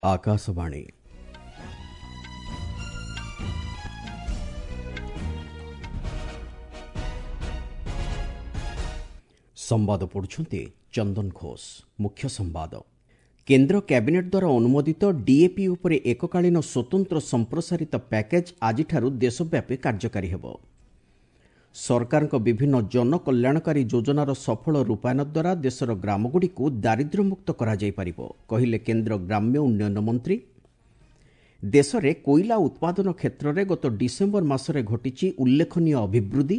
ଆକାଶବାଣୀ। ସମ୍ବାଦ ପଢୁଛନ୍ତି ଚନ୍ଦନ ଘୋଷ। ମୁଖ୍ୟ ସମ୍ବାଦ। କେନ୍ଦ୍ର କ୍ୟାବିନେଟ୍ ଦ୍ୱାରା ଅନୁମୋଦିତ ଡିଏପି ଉପରେ ଏକକାଳୀନ ସ୍ୱତନ୍ତ୍ର ସମ୍ପ୍ରସାରିତ ପ୍ୟାକେଜ୍ ଆଜିଠାରୁ ଦେଶବ୍ୟାପୀ କାର୍ଯ୍ୟକାରୀ ହେବ। ସରକାରଙ୍କ ବିଭିନ୍ନ ଜନକଲ୍ୟାଣକାରୀ ଯୋଜନାର ସଫଳ ରୂପାୟନ ଦ୍ୱାରା ଦେଶର ଗ୍ରାମଗୁଡ଼ିକୁ ଦାରିଦ୍ର୍ୟମୁକ୍ତ କରାଯାଇପାରିବ, କହିଲେ କେନ୍ଦ୍ର ଗ୍ରାମ୍ୟ ଉନ୍ନୟନ ମନ୍ତ୍ରୀ। ଦେଶରେ କୋଇଲା ଉତ୍ପାଦନ କ୍ଷେତ୍ରରେ ଗତ ଡିସେମ୍ବର ମାସରେ ଘଟିଛି ଉଲ୍ଲେଖନୀୟ ଅଭିବୃଦ୍ଧି।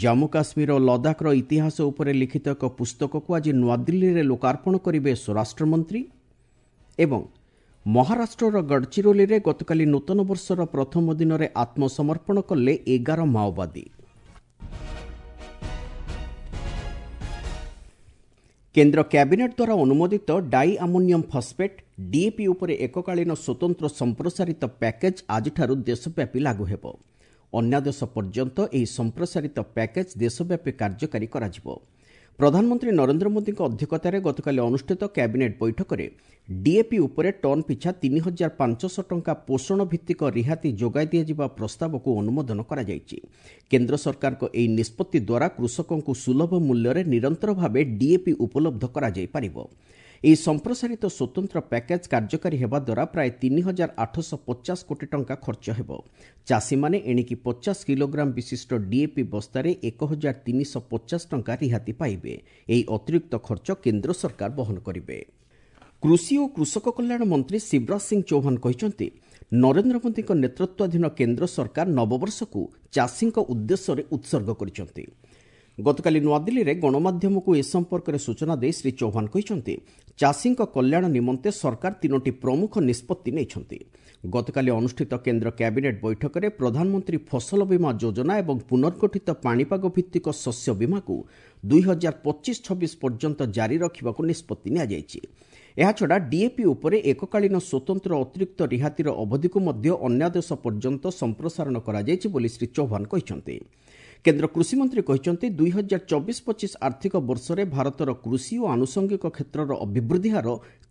ଜାମ୍ମୁ କାଶ୍ମୀର ଓ ଲଦାଖର ଇତିହାସ ଉପରେ ଲିଖିତ ଏକ ପୁସ୍ତକକୁ ଆଜି ନୂଆଦିଲ୍ଲୀରେ ଲୋକାର୍ପଣ କରିବେ ସ୍ୱରାଷ୍ଟ୍ରମନ୍ତ୍ରୀ। ଏବଂ ମହାରାଷ୍ଟ୍ରର ଗଡ଼ଚିରୋଲିରେ ଗତକାଲି ନୂତନ ବର୍ଷର ପ୍ରଥମ ଦିନରେ ଆତ୍ମସମର୍ପଣ କଲେ 11 ମାଓବାଦୀ। କେନ୍ଦ୍ର କ୍ୟାବିନେଟ୍ ଦ୍ୱାରା ଅନୁମୋଦିତ ଡାଇ ଆମୋନିୟମ୍ ଫସ୍ଫେଟ୍ ଡିଏପି ଉପରେ ଏକକାଳୀନ ସ୍ୱତନ୍ତ୍ର ସମ୍ପ୍ରସାରିତ ପ୍ୟାକେଜ୍ ଆଜିଠାରୁ ଦେଶବ୍ୟାପୀ ଲାଗୁ ହେବ। ଅନ୍ୟାଦେଶ ପର୍ଯ୍ୟନ୍ତ ଏହି ସମ୍ପ୍ରସାରିତ ପ୍ୟାକେଜ୍ ଦେଶବ୍ୟାପୀ କାର୍ଯ୍ୟକାରୀ କରାଯିବ। ପ୍ରଧାନମନ୍ତ୍ରୀ ନରେନ୍ଦ୍ର ମୋଦିଙ୍କ ଅଧ୍ୟକ୍ଷତାରେ ଗତକାଲି ଅନୁଷ୍ଠିତ କ୍ୟାବିନେଟ୍ ବୈଠକରେ ଡିଏପି ଉପରେ ଟନ୍ ପିଛା 3500 ଟଙ୍କା ପୋଷଣ ଭିତ୍ତିକ ରିହାତି ଯୋଗାଇ ଦିଆଯିବା ପ୍ରସ୍ତାବକୁ ଅନୁମୋଦନ କରାଯାଇଛି। କେନ୍ଦ୍ର ସରକାରଙ୍କ ଏହି ନିଷ୍ପତ୍ତି ଦ୍ୱାରା କୃଷକଙ୍କୁ ସୁଲଭ ମୂଲ୍ୟରେ ନିରନ୍ତର ଭାବେ ଡିଏପି ଉପଲବ୍ଧ କରାଯାଇପାରିବ। ଏହି ସମ୍ପ୍ରସାରିତ ସ୍ୱତନ୍ତ୍ର ପ୍ୟାକେଜ୍ କାର୍ଯ୍ୟକାରୀ ହେବା ଦ୍ୱାରା ପ୍ରାୟ 3850 କୋଟି ଟଙ୍କା ଖର୍ଚ୍ଚ ହେବ। ଚାଷୀମାନେ ଏଣିକି 50 କିଲୋଗ୍ରାମ ବିଶିଷ୍ଟ ଡିଏପି ବସ୍ତାରେ 1350 ଟଙ୍କା ରିହାତି ପାଇବେ। ଏହି ଅତିରିକ୍ତ ଖର୍ଚ୍ଚ କେନ୍ଦ୍ର ସରକାର ବହନ କରିବେ। କୃଷି ଓ କୃଷକ କଲ୍ୟାଣ ମନ୍ତ୍ରୀ ଶିବରାଜ ସିଂ ଚୌହାନ କହିଛନ୍ତି, ନରେନ୍ଦ୍ର ମୋଦିଙ୍କ ନେତୃତ୍ୱାଧୀନ କେନ୍ଦ୍ର ସରକାର ନବବର୍ଷକୁ ଚାଷୀଙ୍କ ଉଦ୍ଦେଶ୍ୟରେ ଉତ୍ସର୍ଗ କରିଛନ୍ତି। ଗତକାଲି ନୂଆଦିଲ୍ଲୀରେ ଗଣମାଧ୍ୟମକୁ ଏ ସମ୍ପର୍କରେ ସୂଚନା ଦେଇ ଶ୍ରୀ ଚୌହାନ କହିଛନ୍ତି, ଚାଷୀଙ୍କ କଲ୍ୟାଣ ନିମନ୍ତେ ସରକାର 3ଟି ପ୍ରମୁଖ ନିଷ୍ପତ୍ତି ନେଇଛନ୍ତି। ଗତକାଲି ଅନୁଷ୍ଠିତ କେନ୍ଦ୍ର କ୍ୟାବିନେଟ୍ ବୈଠକରେ ପ୍ରଧାନମନ୍ତ୍ରୀ ଫସଲ ବୀମା ଯୋଜନା ଏବଂ ପୁନର୍ଗଠିତ ପାଣିପାଗ ଭିତ୍ତିକ ଶସ୍ୟ ବୀମାକୁ 2025-26 ପର୍ଯ୍ୟନ୍ତ ଜାରି ରଖିବାକୁ ନିଷ୍ପତ୍ତି ନିଆଯାଇଛି। ଏହାଛଡ଼ା ଡିଏପି ଉପରେ ଏକକାଳୀନ ସ୍ୱତନ୍ତ୍ର ଅତିରିକ୍ତ ରିହାତିର ଅବଧିକୁ ମଧ୍ୟ ଅନ୍ୟାଦେଶ ପର୍ଯ୍ୟନ୍ତ ସମ୍ପ୍ରସାରଣ କରାଯାଇଛି ବୋଲି ଶ୍ରୀ ଚୌହାନ କହିଛନ୍ତି। କେନ୍ଦ୍ର କୃଷିମନ୍ତ୍ରୀ କହିଛନ୍ତି, 2024-25 ଆର୍ଥିକ ବର୍ଷରେ ଭାରତର କୃଷି ଓ ଆନୁଷଙ୍ଗିକ କ୍ଷେତ୍ରର ଅଭିବୃଦ୍ଧି ହାର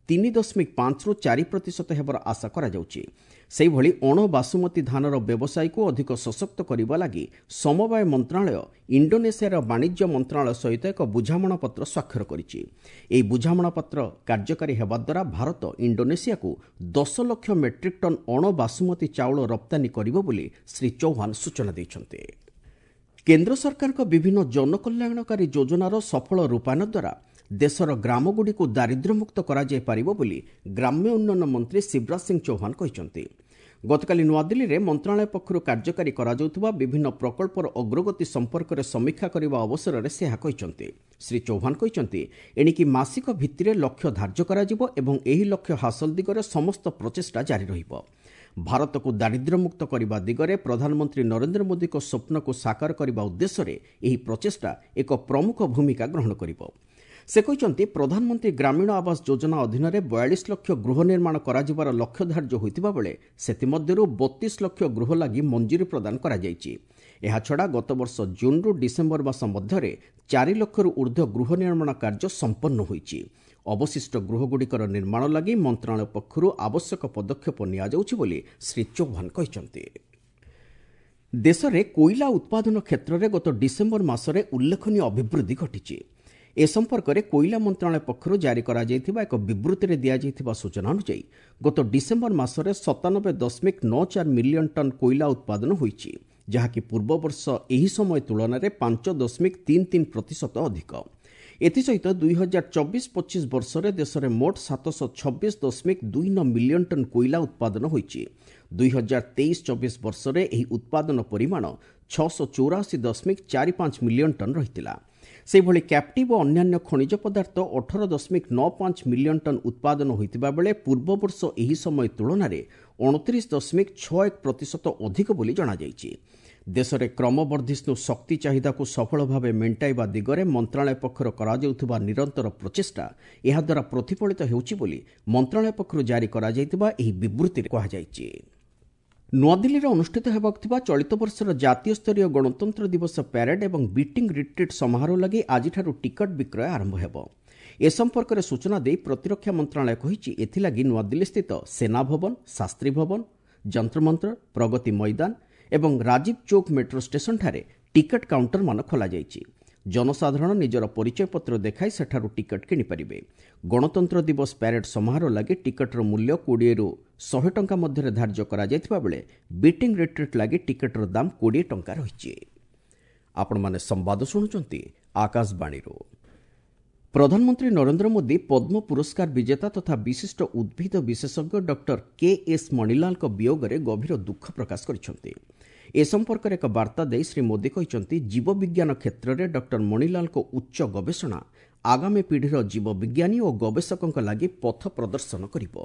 3.5ରୁ 4% ହେବାର ଆଶା କରାଯାଉଛି। ସେହିଭଳି ଅଣ ବାସୁମତୀ ଧାନର ବ୍ୟବସାୟକୁ ଅଧିକ ସଶକ୍ତ କରିବା ଲାଗି ସମବାୟ ମନ୍ତ୍ରଣାଳୟ ଇଣ୍ଡୋନେସିଆର ବାଣିଜ୍ୟ ମନ୍ତ୍ରଣାଳୟ ସହିତ ଏକ ବୁଝାମଣାପତ୍ର ସ୍ୱାକ୍ଷର କରିଛି। ଏହି ବୁଝାମଣାପତ୍ର କାର୍ଯ୍ୟକାରୀ ହେବା ଦ୍ୱାରା ଭାରତ ଇଣ୍ଡୋନେସିଆକୁ 10 ଲକ୍ଷ ମେଟ୍ରିକ୍ ଟନ୍ ଅଣ ବାସୁମତୀ ଚାଉଳ ରପ୍ତାନୀ କରିବ ବୋଲି ଶ୍ରୀ ଚୌହାନ ସୂଚନା ଦେଇଛନ୍ତି। କେନ୍ଦ୍ର ସରକାରଙ୍କ ବିଭିନ୍ନ ଜନକଲ୍ୟାଣକାରୀ ଯୋଜନାର ସଫଳ ରୂପାୟନ ଦ୍ୱାରା ଦେଶର ଗ୍ରାମଗୁଡ଼ିକୁ ଦାରିଦ୍ର୍ୟମୁକ୍ତ କରାଯାଇପାରିବ ବୋଲି ଗ୍ରାମ୍ୟ ଉନ୍ନୟନ ମନ୍ତ୍ରୀ ଶିବରାଜ ସିଂ ଚୌହାନ କହିଛନ୍ତି। ଗତକାଲି ନୂଆଦିଲ୍ଲୀରେ ମନ୍ତ୍ରଣାଳୟ ପକ୍ଷରୁ କାର୍ଯ୍ୟକାରୀ କରାଯାଉଥିବା ବିଭିନ୍ନ ପ୍ରକଳ୍ପର ଅଗ୍ରଗତି ସମ୍ପର୍କରେ ସମୀକ୍ଷା କରିବା ଅବସରରେ ସେ ଏହା କହିଛନ୍ତି। ଶ୍ରୀ ଚୌହାନ କହିଛନ୍ତି, ଏଣିକି ମାସିକ ଭିତ୍ତିରେ ଲକ୍ଷ୍ୟ ଧାର୍ଯ୍ୟ କରାଯିବ ଏବଂ ଏହି ଲକ୍ଷ୍ୟ ହାସଲ ଦିଗରେ ସମସ୍ତ ପ୍ରଚେଷ୍ଟା ଜାରି ରହିବ। ଭାରତକୁ ଦାରିଦ୍ର୍ୟମୁକ୍ତ କରିବା ଦିଗରେ ପ୍ରଧାନମନ୍ତ୍ରୀ ନରେନ୍ଦ୍ର ମୋଦିଙ୍କ ସ୍ୱପ୍ନକୁ ସାକାର କରିବା ଉଦ୍ଦେଶ୍ୟରେ ଏହି ପ୍ରଚେଷ୍ଟା ଏକ ପ୍ରମୁଖ ଭୂମିକା ଗ୍ରହଣ କରିବ। ସେ କହିଛନ୍ତି, ପ୍ରଧାନମନ୍ତ୍ରୀ ଗ୍ରାମୀଣ ଆବାସ ଯୋଜନା ଅଧୀନରେ 42 ଲକ୍ଷ ଗୃହ ନିର୍ମାଣ କରାଯିବାର ଲକ୍ଷ୍ୟ ଧାର୍ଯ୍ୟ ହୋଇଥିବା ବେଳେ ସେଥିମଧ୍ୟରୁ 32 ଲକ୍ଷ ଗୃହ ଲାଗି ମଞ୍ଜୁରୀ ପ୍ରଦାନ କରାଯାଇଛି। ଏହାଛଡ଼ା ଗତବର୍ଷ ଜୁନ୍ରୁ ଡିସେମ୍ବର ମାସ ମଧ୍ୟରେ 4 ଲକ୍ଷରୁ ଉର୍ଦ୍ଧ୍ୱ ଗୃହ ନିର୍ମାଣ କାର୍ଯ୍ୟ ସମ୍ପନ୍ନ ହୋଇଛି। ଅବଶିଷ୍ଟ ଗୃହଗୁଡ଼ିକର ନିର୍ମାଣ ଲାଗି ମନ୍ତ୍ରଣାଳୟ ପକ୍ଷରୁ ଆବଶ୍ୟକ ପଦକ୍ଷେପ ନିଆଯାଉଛି ବୋଲି ଶ୍ରୀ ଚୌହାନ କହିଛନ୍ତି। ଦେଶରେ କୋଇଲା ଉତ୍ପାଦନ କ୍ଷେତ୍ରରେ ଗତ ଡିସେମ୍ବର ମାସରେ ଉଲ୍ଲେଖନୀୟ ଅଭିବୃଦ୍ଧି ଘଟିଛି। ଏ ସମ୍ପର୍କରେ କୋଇଲା ମନ୍ତ୍ରଣାଳୟ ପକ୍ଷରୁ ଜାରି କରାଯାଇଥିବା ଏକ ବିବୃତ୍ତିରେ ଦିଆଯାଇଥିବା ସୂଚନା ଅନୁଯାୟୀ ଗତ ଡିସେମ୍ବର ମାସରେ 97.94 ମିଲିୟନ ଟନ୍ କୋଇଲା ଉତ୍ପାଦନ ହୋଇଛି, ଯାହାକି ପୂର୍ବବର୍ଷ ଏହି ସମୟ ତୁଳନାରେ 5.33% ଅଧିକ। ଏଥିସହିତ 2024-25 ବର୍ଷରେ ଦେଶରେ ମୋଟ 726.29 ମିଲିୟନ ଟନ୍ କୋଇଲା ଉତ୍ପାଦନ ହୋଇଛି। 2023-24 ବର୍ଷରେ ଏହି ଉତ୍ପାଦନ ପରିମାଣ 684.45 ମିଲିୟନ ଟନ୍ ରହିଥିଲା। ସେହିଭଳି କ୍ୟାପ୍ଟିଭ୍ ଓ ଅନ୍ୟାନ୍ୟ ଖଣିଜ ପଦାର୍ଥ 18.95 ମିଲିୟନ ଟନ୍ ଉତ୍ପାଦନ ହୋଇଥିବା ବେଳେ ପୂର୍ବବର୍ଷ ଏହି ସମୟ ତୁଳନାରେ 29.61% ଅଧିକ ବୋଲି ଜଣାଯାଇଛି। ଦେଶରେ କ୍ରମବର୍ଦ୍ଧିଷ୍ଣୁ ଶକ୍ତି ଚାହିଦାକୁ ସଫଳ ଭାବେ ମେଣ୍ଟାଇବା ଦିଗରେ ମନ୍ତ୍ରଣାଳୟ ପକ୍ଷରୁ କରାଯାଉଥିବା ନିରନ୍ତର ପ୍ରଚେଷ୍ଟା ଏହାଦ୍ୱାରା ପ୍ରତିଫଳିତ ହେଉଛି ବୋଲି ମନ୍ତ୍ରଣାଳୟ ପକ୍ଷରୁ ଜାରି କରାଯାଇଥିବା ଏହି ବିବୃତ୍ତିରେ କୁହାଯାଇଛି। ନୂଆଦିଲ୍ଲୀରେ ଅନୁଷ୍ଠିତ ହେବାକୁ ଥିବା ଚଳିତ ବର୍ଷର ଜାତୀୟ ସ୍ତରୀୟ ଗଣତନ୍ତ୍ର ଦିବସ ପ୍ୟାରେଡ୍ ଏବଂ ବିଟିଂ ରିଟ୍ରିଟ୍ ସମାରୋହ ଲାଗି ଆଜିଠାରୁ ଟିକଟ ବିକ୍ରୟ ଆରମ୍ଭ ହେବ। ଏ ସମ୍ପର୍କରେ ସୂଚନା ଦେଇ ପ୍ରତିରକ୍ଷା ମନ୍ତ୍ରଣାଳୟ କହିଛି, ଏଥିଲାଗି ନୂଆଦିଲ୍ଲୀସ୍ଥିତ ସେନା ଭବନ, ଶାସ୍ତ୍ରୀ ଭବନ, ଯନ୍ତ୍ରମନ୍ତ୍ର, ପ୍ରଗତି ମଇଦାନ ଏବଂ ରାଜୀବ ଚୌକ ମେଟ୍ରୋ ଷ୍ଟେସନଠାରେ ଟିକେଟ୍ କାଉଣ୍ଟରମାନ ଖୋଲାଯାଇଛି। ଜନସାଧାରଣ ନିଜର ପରିଚୟପତ୍ର ଦେଖାଇ ସେଠାରୁ ଟିକେଟ୍ କିଣିପାରିବେ। ଗଣତନ୍ତ୍ର ଦିବସ ପ୍ୟାରେଡ୍ ସମାରୋହ ଲାଗି ଟିକେଟ୍ର ମୂଲ୍ୟ 20ରୁ 100 ଟଙ୍କା ମଧ୍ୟରେ ଧାର୍ଯ୍ୟ କରାଯାଇଥିବା ବେଳେ ବିଟିଂ ରିଟ୍ରିଟ୍ ଲାଗି ଟିକେଟ୍ର ଦାମ୍ 20 ଟଙ୍କା ରହିଛି। ଆପଣମାନେ ସମ୍ବାଦ ଶୁଣୁଛନ୍ତି ଆକାଶବାଣୀରୁ। ପ୍ରଧାନମନ୍ତ୍ରୀ ନରେନ୍ଦ୍ର ମୋଦି ପଦ୍ମ ପୁରସ୍କାର ବିଜେତା ତଥା ବିଶିଷ୍ଟ ଉଦ୍ଭିଦ ବିଶେଷଜ୍ଞ ଡକ୍ଟର କେ ଏସ୍ ମଣିଲାଲଙ୍କ ବିୟୋଗରେ ଗଭୀର ଦୁଃଖ ପ୍ରକାଶ କରିଛନ୍ତି। ଏ ସମ୍ପର୍କରେ ଏକ ବାର୍ତ୍ତା ଦେଇ ଶ୍ରୀ ମୋଦି କହିଛନ୍ତି, ଜୀବବିଜ୍ଞାନ କ୍ଷେତ୍ରରେ ଡକ୍ଟର ମଣିଲାଲଙ୍କ ଉଚ୍ଚ ଗବେଷଣା ଆଗାମୀ ପିଢ଼ିର ଜୀବବିଜ୍ଞାନୀ ଓ ଗବେଷକଙ୍କ ଲାଗି ପଥ ପ୍ରଦର୍ଶନ କରିବ।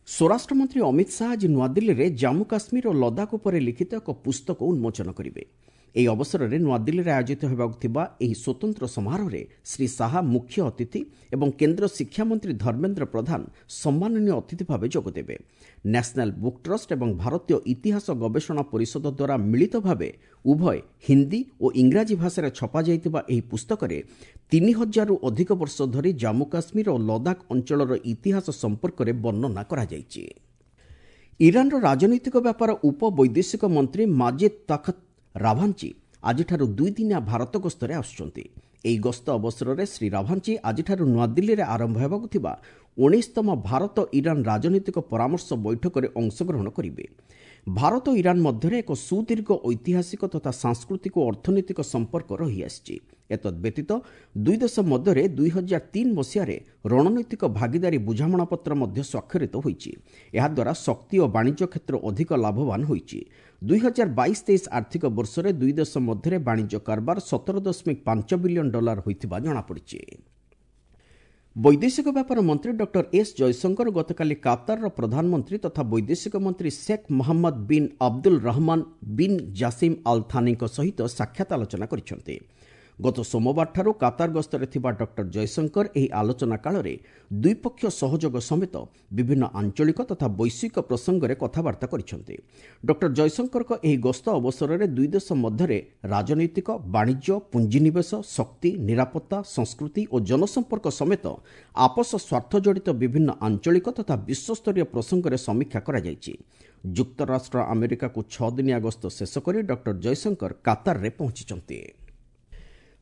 ସ୍ୱରାଷ୍ଟ୍ରମନ୍ତ୍ରୀ ଅମିତ ଶାହା ଆଜି ନୂଆଦିଲ୍ଲୀରେ ଜାମ୍ମୁ କାଶ୍ମୀର ଓ ଲଦାଖ ଉପରେ ଲିଖିତ ଏକ ପୁସ୍ତକ ଉନ୍ମୋଚନ କରିବେ। ଏହି ଅବସରରେ ନୂଆଦିଲ୍ଲୀରେ ଆୟୋଜିତ ହେବାକୁ ଥିବା ଏହି ସ୍ୱତନ୍ତ୍ର ସମାରୋହରେ ଶ୍ରୀ ଶାହା ମୁଖ୍ୟ ଅତିଥି ଏବଂ କେନ୍ଦ୍ର ଶିକ୍ଷାମନ୍ତ୍ରୀ ଧର୍ମେନ୍ଦ୍ର ପ୍ରଧାନ ସମ୍ମାନନୀୟ ଅତିଥି ଭାବେ ଯୋଗଦେବେ। ନ୍ୟାସନାଲ୍ ବୁକ୍ ଟ୍ରଷ୍ଟ ଏବଂ ଭାରତୀୟ ଇତିହାସ ଗବେଷଣା ପରିଷଦ ଦ୍ୱାରା ମିଳିତ ଭାବେ ଉଭୟ ହିନ୍ଦୀ ଓ ଇଂରାଜୀ ଭାଷାରେ ଛପାଯାଇଥିବା ଏହି ପୁସ୍ତକରେ 3000ରୁ ଅଧିକ ବର୍ଷ ଧରି ଜାମ୍ମୁ କାଶ୍ମୀର ଓ ଲଦାଖ ଅଞ୍ଚଳର ଇତିହାସ ସମ୍ପର୍କରେ ବର୍ଣ୍ଣନା କରାଯାଇଛି। ଇରାନର ରାଜନୈତିକ ବ୍ୟାପାର ଉପ ବୈଦେଶିକ ମନ୍ତ୍ରୀ ମାଜିଦ୍ ତାଖତ ରାଭାଞ୍ଚି ଆଜିଠାରୁ 2 ଦିନିଆ ଭାରତ ଗସ୍ତରେ ଆସୁଛନ୍ତି। ଏହି ଗସ୍ତ ଅବସରରେ ଶ୍ରୀ ରାଭାଞ୍ଚି ଆଜିଠାରୁ ନୂଆଦିଲ୍ଲୀରେ ଆରମ୍ଭ ହେବାକୁ ଥିବା 19ତମ ଭାରତ ଇରାନ ରାଜନୈତିକ ପରାମର୍ଶ ବୈଠକରେ ଅଂଶଗ୍ରହଣ କରିବେ। ଭାରତ ଇରାନ ମଧ୍ୟରେ ଏକ ସୁଦୀର୍ଘ ଐତିହାସିକ ତଥା ସାଂସ୍କୃତିକ ଓ ଅର୍ଥନୈତିକ ସମ୍ପର୍କ ରହିଆସିଛି। ଏତଦ୍ ବ୍ୟତୀତ ଦୁଇ ଦେଶ ମଧ୍ୟରେ 2003 ମସିହାରେ ରଣନୈତିକ ଭାଗିଦାରୀ ବୁଝାମଣାପତ୍ର ମଧ୍ୟ ସ୍ୱାକ୍ଷରିତ ହୋଇଛି। ଏହାଦ୍ୱାରା ଶକ୍ତି ଓ ବାଣିଜ୍ୟ କ୍ଷେତ୍ର ଅଧିକ ଲାଭବାନ ହୋଇଛି। 2022-23 ଆର୍ଥିକ ବର୍ଷରେ ଦୁଇ ଦେଶ ମଧ୍ୟରେ ବାଣିଜ୍ୟ କାରବାର 17.5 ବିଲିୟନ ଡଲାର ହୋଇଥିବା ଜଣାପଡ଼ିଛି। ବୈଦେଶିକ ବ୍ୟାପାର ମନ୍ତ୍ରୀ ଡକ୍ଟର ଏସ୍ ଜୟଶଙ୍କର ଗତକାଲି କାତାରର ପ୍ରଧାନମନ୍ତ୍ରୀ ତଥା ବୈଦେଶିକ ମନ୍ତ୍ରୀ Sheikh Mohammed bin Abdul Rahman bin Jassim Al ଥାନିଙ୍କ ସହିତ ସାକ୍ଷାତ ଆଲୋଚନା କରିଛନ୍ତି। ଗତ ସୋମବାରଠାରୁ କାତାର ଗସ୍ତରେ ଥିବା ଡକ୍ଟର ଜୟଶଙ୍କର ଏହି ଆଲୋଚନା କାଳରେ ଦ୍ୱିପକ୍ଷୀୟ ସହଯୋଗ ସମେତ ବିଭିନ୍ନ ଆଞ୍ଚଳିକ ତଥା ବୈଶ୍ୱିକ ପ୍ରସଙ୍ଗରେ କଥାବାର୍ତ୍ତା କରିଛନ୍ତି। ଡକ୍ଟର ଜୟଶଙ୍କରଙ୍କ ଏହି ଗସ୍ତ ଅବସରରେ ଦୁଇ ଦେଶ ମଧ୍ୟରେ ରାଜନୈତିକ, ବାଣିଜ୍ୟ, ପୁଞ୍ଜିନିବେଶ, ଶକ୍ତି, ନିରାପତ୍ତା, ସଂସ୍କୃତି ଓ ଜନସମ୍ପର୍କ ସମେତ ଆପୋଷ ସ୍ୱାର୍ଥ ଜଡ଼ିତ ବିଭିନ୍ନ ଆଞ୍ଚଳିକ ତଥା ବିଶ୍ୱସ୍ତରୀୟ ପ୍ରସଙ୍ଗରେ ସମୀକ୍ଷା କରାଯାଇଛି। ଯୁକ୍ତରାଷ୍ଟ୍ର ଆମେରିକାକୁ 6 ଦିନିଆ ଗସ୍ତ ଶେଷ କରି ଡକ୍ଟର ଜୟଶଙ୍କର କାତାରରେ ପହଞ୍ଚିଛନ୍ତି।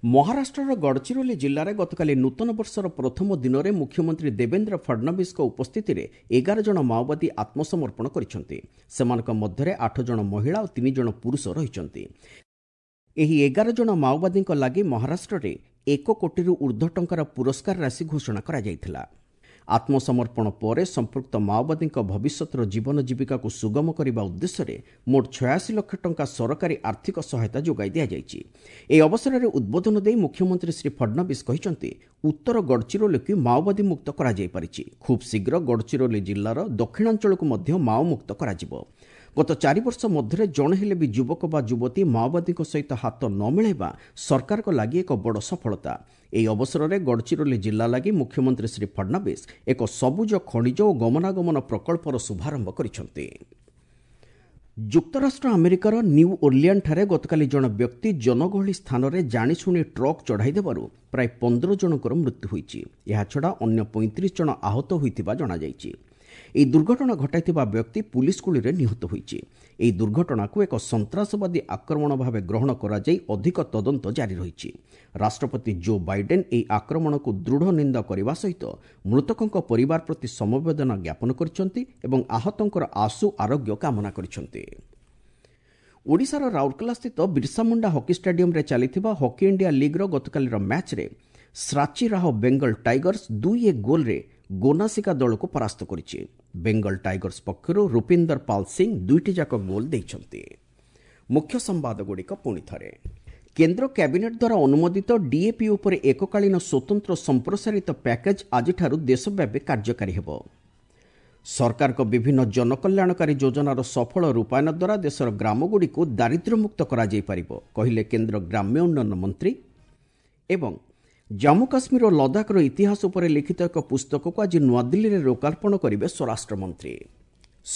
ମହାରାଷ୍ଟ୍ରର ଗଡ଼ଚିରୋଲି ଜିଲ୍ଲାରେ ଗତକାଲି ନୂତନ ବର୍ଷର ପ୍ରଥମ ଦିନରେ ମୁଖ୍ୟମନ୍ତ୍ରୀ ଦେବେନ୍ଦ୍ର ଫଡ୍ନବୀସଙ୍କ ଉପସ୍ଥିତିରେ 11 ଜଣ ମାଓବାଦୀ ଆତ୍ମସମର୍ପଣ କରିଛନ୍ତି। ସେମାନଙ୍କ ମଧ୍ୟରେ 8 ଜଣ ମହିଳା ଓ 3 ଜଣ ପୁରୁଷ ରହିଛନ୍ତି। ଏହି 11 ଜଣ ମାଓବାଦୀଙ୍କ ଲାଗି ମହାରାଷ୍ଟ୍ରରେ 1 କୋଟିରୁ ଉର୍ଦ୍ଧ୍ୱ ଟଙ୍କାର ପୁରସ୍କାର ରାଶି ଘୋଷଣା କରାଯାଇଥିଲା। ଆତ୍ମସମର୍ପଣ ପରେ ସମ୍ପୃକ୍ତ ମାଓବାଦୀଙ୍କ ଭବିଷ୍ୟତର ଜୀବନ ଜୀବିକାକୁ ସୁଗମ କରିବା ଉଦ୍ଦେଶ୍ୟରେ ମୋଟ 86 ଲକ୍ଷ ଟଙ୍କା ସରକାରୀ ଆର୍ଥିକ ସହାୟତା ଯୋଗାଇ ଦିଆଯାଇଛି। ଏହି ଅବସରରେ ଉଦ୍ବୋଧନ ଦେଇ ମୁଖ୍ୟମନ୍ତ୍ରୀ ଶ୍ରୀ ଫଡ୍ନବୀସ କହିଛନ୍ତି, ଉତ୍ତର ଗଡ଼ଚିରୋଲିକୁ ମାଓବାଦୀ ମୁକ୍ତ କରାଯାଇପାରିଛି। ଖୁବ୍ ଶୀଘ୍ର ଗଡ଼ଚିରୋଲି ଜିଲ୍ଲାର ଦକ୍ଷିଣାଞ୍ଚଳକୁ ମଧ୍ୟ ମାଓମୁକ୍ତ କରାଯିବ। ଗତ 4 ବର୍ଷ ମଧ୍ୟରେ ଜଣେ ହେଲେ ବି ଯୁବକ ବା ଯୁବତୀ ମାଓବାଦୀଙ୍କ ସହିତ ହାତ ନ ମିଳାଇବା ସରକାରଙ୍କ ଲାଗି ଏକ ବଡ଼ ସଫଳତା। ଏହି ଅବସରରେ ଗଡ଼ଚିରୋଲି ଜିଲ୍ଲା ଲାଗି ମୁଖ୍ୟମନ୍ତ୍ରୀ ଶ୍ରୀ ଫଡ୍ନବୀସ ଏକ ସବୁଜ ଖଣିଜ ଓ ଗମନାଗମନ ପ୍ରକଳ୍ପର ଶୁଭାରମ୍ଭ କରିଛନ୍ତି। ଯୁକ୍ତରାଷ୍ଟ୍ର ଆମେରିକାର ନ୍ୟୁ ଓର୍ଲିଆନ୍ଠାରେ ଗତକାଲି ଜଣେ ବ୍ୟକ୍ତି ଜନଗହଳି ସ୍ଥାନରେ ଜାଣିଶୁଣି ଟ୍ରକ୍ ଚଢ଼ାଇ ଦେବାରୁ ପ୍ରାୟ 15 ଜଣଙ୍କର ମୃତ୍ୟୁ ହୋଇଛି। ଏହାଛଡ଼ା ଅନ୍ୟ 35 ଜଣ ଆହତ ହୋଇଥିବା ଜଣାଯାଇଛି। ଏହି ଦୁର୍ଘଟଣା ଘଟାଇଥିବା ବ୍ୟକ୍ତି ପୁଲିସ୍ ଗୁଳିରେ ନିହତ ହୋଇଛି। ଏହି ଦୁର୍ଘଟଣାକୁ ଏକ ସନ୍ତାସବାଦୀ ଆକ୍ରମଣ ଭାବେ ଗ୍ରହଣ କରାଯାଇ ଅଧିକ ତଦନ୍ତ ଜାରି ରହିଛି। ରାଷ୍ଟ୍ରପତି ଜୋ ବାଇଡେନ୍ ଏହି ଆକ୍ରମଣକୁ ଦୃଢ଼ ନିନ୍ଦା କରିବା ସହିତ ମୃତକଙ୍କ ପରିବାର ପ୍ରତି ସମବେଦନା ଜ୍ଞାପନ କରିଛନ୍ତି ଏବଂ ଆହତଙ୍କର ଆଶୁ ଆରୋଗ୍ୟ କାମନା କରିଛନ୍ତି। ଓଡ଼ିଶାର ରାଉରକେଲାସ୍ଥିତ ବିର୍ସାମୁଣ୍ଡା ହକି ଷ୍ଟାଡିୟମରେ ଚାଲିଥିବା ହକି ଇଣ୍ଡିଆ ଲିଗ୍ର ଗତକାଲିର ମ୍ୟାଚ୍ରେ ଶ୍ରାଚୀ ରାହ ବେଙ୍ଗଲ ଟାଇଗର୍ସ 2-1 ଗୋଲ୍ରେ ଗୋନାସିକା ଦଳକୁ ପରାସ୍ତ କରିଛି। ବେଙ୍ଗଲ ଟାଇଗର୍ସ ପକ୍ଷରୁ ରୁପିନ୍ଦର ପାଲ ସିଂ ଦୁଇଟି ଯାକ ଗୋଲ୍ ଦେଇଛନ୍ତି। ମୁଖ୍ୟ ସମ୍ବାଦଗୁଡ଼ିକ ପୁଣି ଥରେ। କେନ୍ଦ୍ର କ୍ୟାବିନେଟ୍ ଦ୍ୱାରା ଅନୁମୋଦିତ ଡିଏପି ଉପରେ ଏକକାଳୀନ ସ୍ୱତନ୍ତ୍ର ସମ୍ପ୍ରସାରିତ ପ୍ୟାକେଜ୍ ଆଜିଠାରୁ ଦେଶବ୍ୟାପୀ କାର୍ଯ୍ୟକାରୀ ହେବ। ସରକାରଙ୍କ ବିଭିନ୍ନ ଜନକଲ୍ୟାଣକାରୀ ଯୋଜନାର ସଫଳ ରୂପାୟନ ଦ୍ୱାରା ଦେଶର ଗ୍ରାମଗୁଡ଼ିକୁ ଦାରିଦ୍ର୍ୟମୁକ୍ତ କରାଯାଇପାରିବ, କହିଲେ କେନ୍ଦ୍ର ଗ୍ରାମ୍ୟ ଉନ୍ନୟନ ମନ୍ତ୍ରୀ। ଏବଂ ଜାମ୍ମୁ କାଶ୍ମୀର ଓ ଲଦାଖର ଇତିହାସ ଉପରେ ଲିଖିତ ଏକ ପୁସ୍ତକକୁ ଆଜି ନୂଆଦିଲ୍ଲୀରେ ଲୋକାର୍ପଣ କରିବେ ସ୍ୱରାଷ୍ଟ୍ରମନ୍ତ୍ରୀ।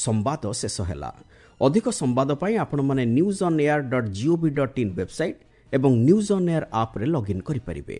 ସମ୍ବାଦ ଶେଷ ହେଲା। ଅଧିକ ସମ୍ବାଦ ପାଇଁ ଆପଣମାନେ newsonair.gov.in website ଏବଂ ନ୍ୟୁଜ୍ ଅନ୍ ଏୟାର ଆପ୍ରେ ଲଗ୍ଇନ୍ କରିପାରିବେ।